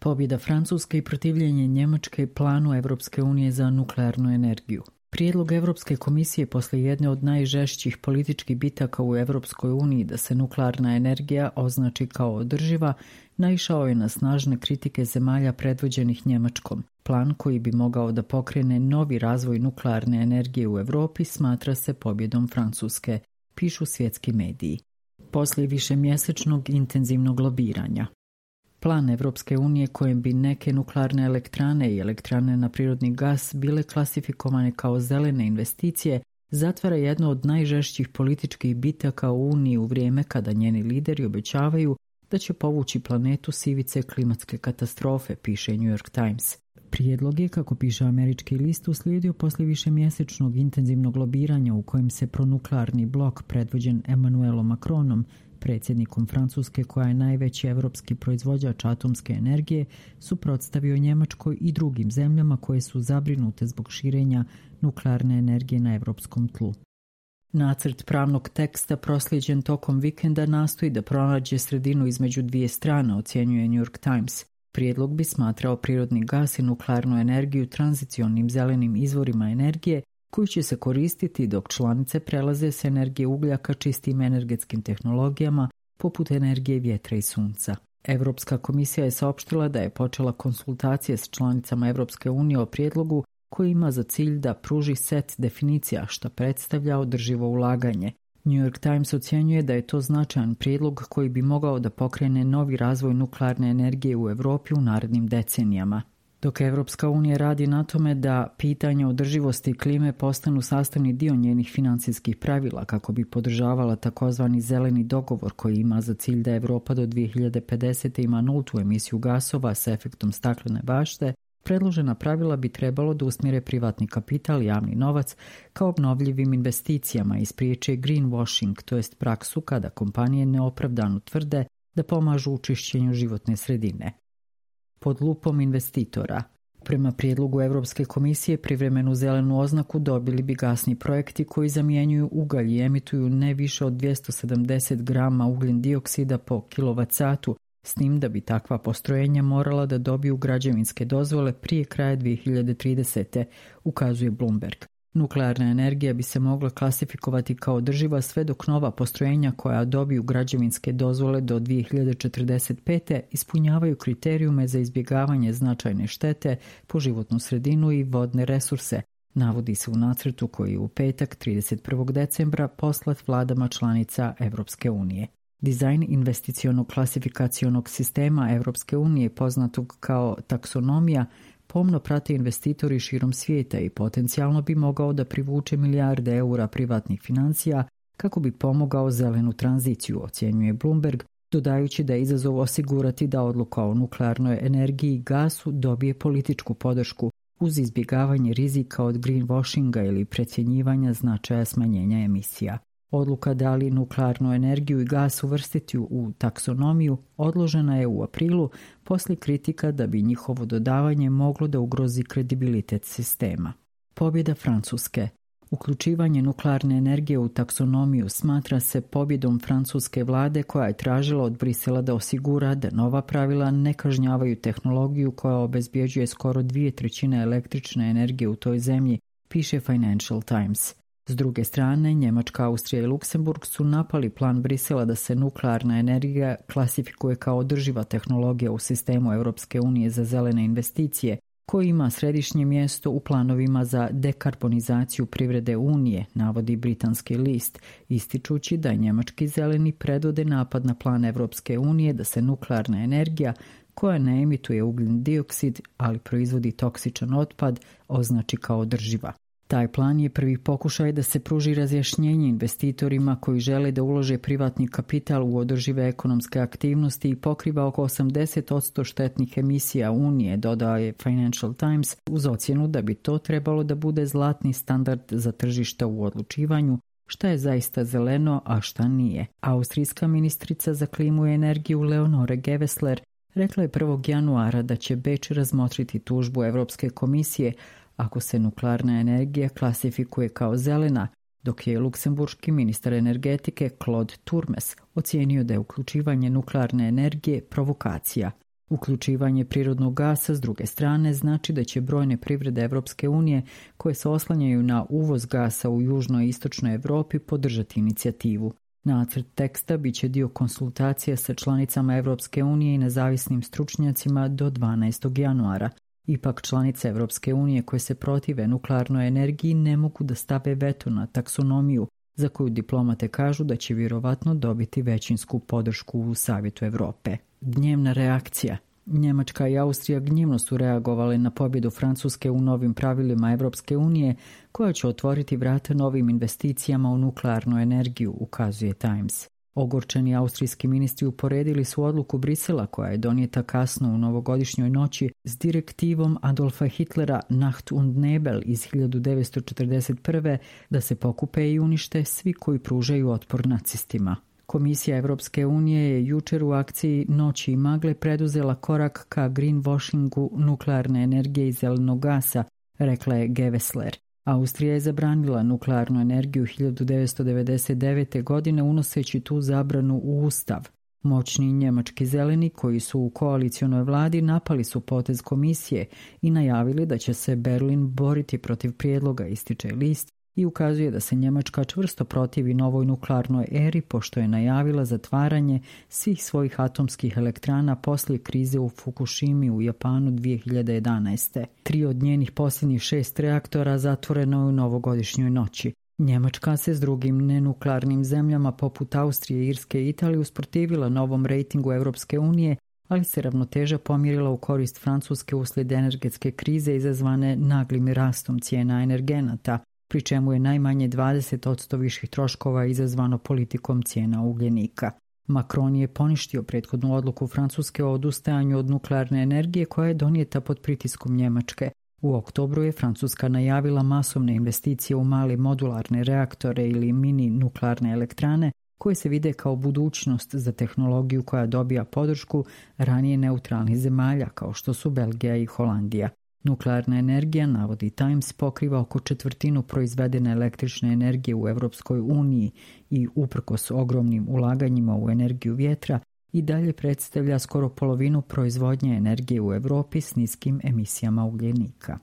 Pobjeda Francuske i protivljenje Njemačke planu Evropske unije za nuklearnu energiju. Prijedlog Evropske komisije posle jedne od najžešćih političkih bitaka u Evropskoj uniji da se nuklearna energija označi kao održiva, naišao je na snažne kritike zemalja predvođenih Njemačkom. Plan koji bi mogao da pokrene novi razvoj nuklearne energije u Evropi smatra se pobjedom Francuske, pišu svjetski mediji. Poslije višemjesečnog intenzivnog lobiranja. Plan Evropske unije kojem bi neke nuklearne elektrane i elektrane na prirodni gas bile klasifikovane kao zelene investicije zatvara jedno od najžešćih političkih bitaka u Uniji u vrijeme kada njeni lideri obećavaju da će povući planetu s ivice klimatske katastrofe, piše New York Times. Prijedlog je, kako piše američki list, uslijedio poslije višemjesečnog intenzivnog lobiranja u kojem se pronuklearni blok predvođen Emmanuelom Macronom, predsjednikom Francuske koja je najveći evropski proizvođač atomske energije, suprotstavio Njemačkoj i drugim zemljama koje su zabrinute zbog širenja nuklearne energije na evropskom tlu. Nacrt pravnog teksta proslijeđen tokom vikenda nastoji da pronađe sredinu između dvije strane, ocjenjuje New York Times. Prijedlog bi smatrao prirodni gas i nuklearnu energiju tranzicionim zelenim izvorima energije koji će se koristiti dok članice prelaze s energije ugljaka čistim energetskim tehnologijama poput energije vjetra i sunca. Evropska komisija je saopštila da je počela konsultacije s članicama Evropske unije o prijedlogu koji ima za cilj da pruži set definicija što predstavlja održivo ulaganje. New York Times ocjenjuje da je to značajan prijedlog koji bi mogao da pokrene novi razvoj nuklearne energije u Evropi u narednim decenijama. Dok Evropska unija radi na tome da pitanja održivosti klime postanu sastavni dio njenih financijskih pravila kako bi podržavala takozvani zeleni dogovor koji ima za cilj da Evropa do 2050. ima nultu emisiju gasova s efektom staklene bašte, predložena pravila bi trebalo da usmjere privatni kapital i javni novac kao obnovljivim investicijama i spriječe greenwashing, to jest praksu kada kompanije neopravdano tvrde da pomažu u čišćenju životne sredine. Pod lupom investitora. Prema prijedlogu Evropske komisije privremenu zelenu oznaku dobili bi gasni projekti koji zamjenjuju ugalj i emituju ne više od 270 grama ugljen dioksida po kilovatsatu, s tim da bi takva postrojenja morala da dobiju građevinske dozvole prije kraja 2030. ukazuje Bloomberg. Nuklearna energija bi se mogla klasifikovati kao održiva sve dok nova postrojenja koja dobiju građevinske dozvole do 2045. ispunjavaju kriterijume za izbjegavanje značajne štete po životnu sredinu i vodne resurse, navodi se u nacrtu koji je u petak 31. decembra poslat vladama članica Evropske unije. Dizajn investicionog klasifikacionog sistema Evropske unije, poznatog kao taksonomija, pomno prate investitori širom svijeta i potencijalno bi mogao da privuče milijarde eura privatnih financija kako bi pomogao zelenu tranziciju, ocjenjuje Bloomberg, dodajući da je izazov osigurati da odluka o nuklearnoj energiji i gasu dobije političku podršku uz izbjegavanje rizika od greenwashinga ili precjenjivanja značaja smanjenja emisija. Odluka da li nuklearnu energiju i gas uvrstiti u taksonomiju odložena je u aprilu poslije kritika da bi njihovo dodavanje moglo da ugrozi kredibilitet sistema. Pobjeda Francuske. Uključivanje nuklearne energije u taksonomiju smatra se pobjedom francuske vlade koja je tražila od Brisela da osigura da nova pravila ne kažnjavaju tehnologiju koja obezbjeđuje skoro 2/3 električne energije u toj zemlji, piše Financial Times. S druge strane, Njemačka, Austrija i Luksemburg su napali plan Brisela da se nuklearna energija klasifikuje kao održiva tehnologija u sistemu Europske unije za zelene investicije, koji ima središnje mjesto u planovima za dekarbonizaciju privrede Unije, navodi britanski list, ističući da njemački zeleni predvode napad na plan Europske unije da se nuklearna energija, koja ne emituje ugljen dioksid, ali proizvodi toksičan otpad, označi kao održiva. Taj plan je prvi pokušaj da se pruži razjašnjenje investitorima koji žele da ulože privatni kapital u održive ekonomske aktivnosti i pokriva oko 80% štetnih emisija Unije, dodao je Financial Times, uz ocjenu da bi to trebalo da bude zlatni standard za tržišta u odlučivanju šta je zaista zeleno, a šta nije. Austrijska ministrica za klimu i energiju Leonore Gewessler rekla je 1. januara da će Beč razmotriti tužbu Evropske komisije ako se nuklearna energija klasifikuje kao zelena, dok je luksemburški ministar energetike Claude Turmes ocijenio da je uključivanje nuklearne energije provokacija. Uključivanje prirodnog gasa s druge strane znači da će brojne privrede Evropske unije koje se oslanjaju na uvoz gasa u južnoj i istočnoj Evropi podržati inicijativu. Nacrt teksta biće dio konsultacija sa članicama Evropske unije i nezavisnim stručnjacima do 12. januara. Ipak članice Evropske unije koje se protive nuklearnoj energiji ne mogu da stave veto na taksonomiju, za koju diplomate kažu da će vjerovatno dobiti većinsku podršku u Savjetu Evrope. Gnjevna reakcija. Njemačka i Austrija gnjevno su reagovali na pobjedu Francuske u novim pravilima Evropske unije, koja će otvoriti vrata novim investicijama u nuklearnu energiju, ukazuje Times. Ogorčeni austrijski ministri uporedili su odluku Brisela, koja je donijeta kasno u novogodišnjoj noći, s direktivom Adolfa Hitlera Nacht und Nebel iz 1941. da se pokupe i unište svi koji pružaju otpor nacistima. Komisija Evropske unije je jučer u akciji Noći i magle preduzela korak ka greenwashingu nuklearne energije i zelenog gasa, rekla je Gewessler. Austrija je zabranila nuklearnu energiju 1999. godine unoseći tu zabranu u Ustav. Moćni njemački zeleni koji su u koalicionoj vladi napali su potez komisije i najavili da će se Berlin boriti protiv prijedloga, ističe list, i ukazuje da se Njemačka čvrsto protivi novoj nuklearnoj eri pošto je najavila zatvaranje svih svojih atomskih elektrana poslije krize u Fukushimi u Japanu 2011. 3 od njenih posljednjih 6 reaktora zatvoreno je u novogodišnjoj noći. Njemačka se s drugim nenuklearnim zemljama poput Austrije, Irske i Italije usprotivila novom rejtingu Evropske unije, ali se ravnoteža pomjerila u korist Francuske uslijed energetske krize izazvane naglim rastom cijena energenata, pri čemu je najmanje 20% viših troškova izazvano politikom cijena ugljenika. Macron je poništio prethodnu odluku Francuske o odustajanju od nuklearne energije koja je donijeta pod pritiskom Njemačke. U oktobru je Francuska najavila masovne investicije u male modularne reaktore ili mini nuklearne elektrane koje se vide kao budućnost za tehnologiju koja dobija podršku ranije neutralnih zemalja kao što su Belgija i Holandija. Nuklearna energija, navodi Times, pokriva oko 1/4 proizvedene električne energije u Evropskoj uniji i uprkos ogromnim ulaganjima u energiju vjetra i dalje predstavlja skoro polovinu proizvodnje energije u Europi s niskim emisijama ugljenika.